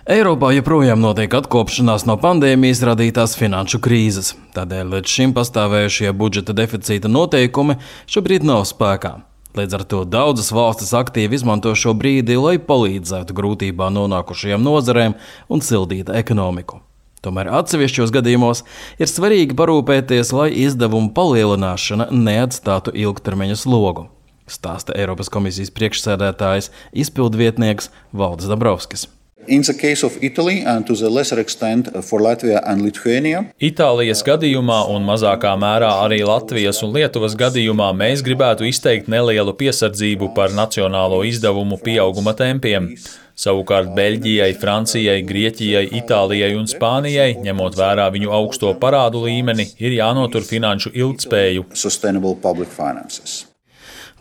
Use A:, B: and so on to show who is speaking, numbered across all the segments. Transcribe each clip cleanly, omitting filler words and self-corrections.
A: Eiropā joprojām notiek atkopšanās no pandēmijas radītās finanšu krīzes. Tādēļ līdz šim pastāvējušie budžeta deficīta noteikumi šobrīd nav spēkā. Līdz ar to daudzas valstis aktīvi izmanto šo brīdi, lai palīdzētu grūtībā nonākušajām nozarēm un sildītu ekonomiku. Tomēr atsevišķos gadījumos ir svarīgi parūpēties, lai izdevumu palielināšana neatstātu ilgtermiņa slogu, stāsta Eiropas komisijas priekšsēdētājs, izpildvietnieks Valdis Dombrovskis.
B: In the case of Italy and to the lesser extent for Latvia and Lithuania,
C: Itālijas gadījumā un mazākā mērā arī Latvijas un Lietuvas gadījumā mēs gribētu izteikt nelielu piesardzību par nacionālo izdevumu pieauguma tempiem. Savukārt Beļģijai, Francijai, Grieķijai, Itālijai un Spānijai, ņemot vērā viņu augsto parādu līmeni, ir jānotur finanšu ilgtspēju.
B: sustainable public finances.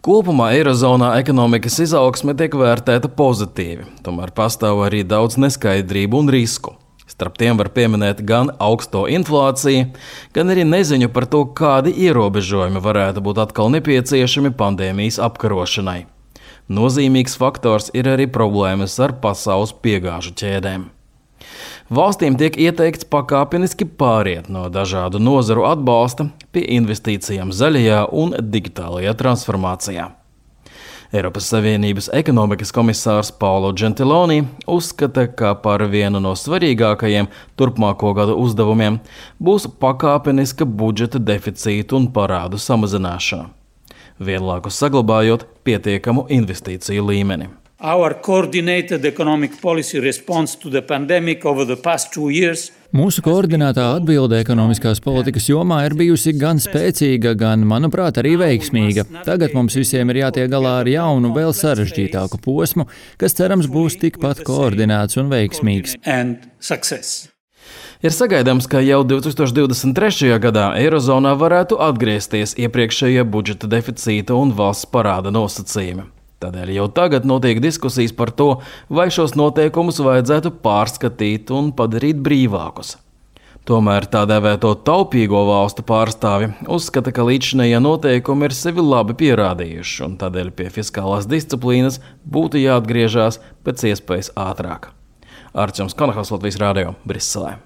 A: Kopumā Eirozonā ekonomikas izaugsme tiek vērtēta pozitīvi, tomēr pastāv arī daudz neskaidrību un risku. Starp tiem var pieminēt gan augsto inflāciju, gan arī neziņu par to, kādi ierobežojumi varētu būt atkal nepieciešami pandēmijas apkarošanai. Nozīmīgs faktors ir arī problēmas ar pasaules piegāžu ķēdēm. Valstīm tiek ieteikts pakāpeniski pāriet no dažādu nozaru atbalsta pie investīcijām zaļajā un digitālajā transformācijā. Eiropas Savienības ekonomikas komisārs Paolo Gentiloni uzskata, ka par vienu no svarīgākajiem turpmāko gadu uzdevumiem būs pakāpeniska budžeta deficīta un parādu samazināšana, vienlaikus saglabājot pietiekamu investīciju līmeni.
D: Our coordinated economic policy response to the pandemic over the past 2 years
E: Mūsu koordinētā atbilde ekonomiskās politikas jomā ir bijusi gan spēcīga, gan, manuprāt, arī veiksmīga. Tagad mums visiem ir jātiek galā ar jaunu, vēl sarežģītāku posmu, kas cerams būs tikpat koordinēts un veiksmīgs.
A: Ir sagaidāms, ka jau 2023. gadā Eirozonā varētu atgriezties iepriekšējie budžeta deficīta un valsts parāda nosacījumi. Tādēļ jau tagad notiek diskusijas par to, vai šos noteikumus vajadzētu pārskatīt un padarīt brīvākus. Tomēr tā dēvēto taupīgo valstu pārstāvi uzskata, ka līdzinējie noteikumi ir sevi labi pierādījuši, un tādēļ pie fiskālās disciplīnas būtu jāatgriežas pēc iespējas ātrāk. Arčuns Kanahals, Latvijas Radio, Briselē.